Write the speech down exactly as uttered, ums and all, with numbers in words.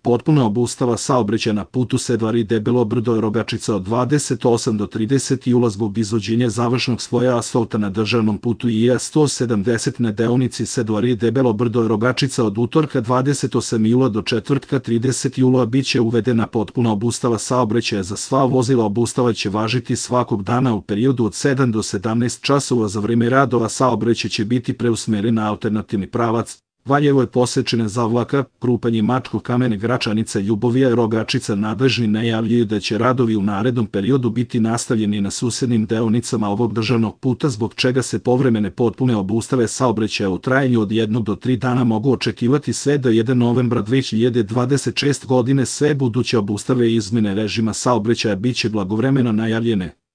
Potpuna obustava saobraćaja na putu Sedvari Debelo Brdo Rogačica od dvadeset osam do trideset jula zbog izvođenja završnog sloja asfalta na državnom putu I A sto sedamdeset na deonici Sedvari Debelo Brdo Rogačica od utorka dvadeset osmog jula do četvrtka tridesetog jula biće uvedena potpuna obustava saobraćaja za sva vozila. Obustava će važiti svakog dana u periodu od sedam do sedamnaest časova. Za vreme radova saobraćaj će biti preusmeren na alternativni pravac Valjevo je posečene Zavlaka, Krupanje Mačko, Kamene, Gračanica, Ljubovija i Rogačica. Nadležni najavljuju da će radovi u narednom periodu biti nastavljeni na susednim deonicama ovog državnog puta, zbog čega se povremene potpune obustave saobraćaja u trajanju od jednog do tri dana mogu očekivati sve do prvog novembra dve hiljade dvadeset šeste. godine. Sve buduće obustave i izmene režima saobraćaja biće blagovremeno najavljene.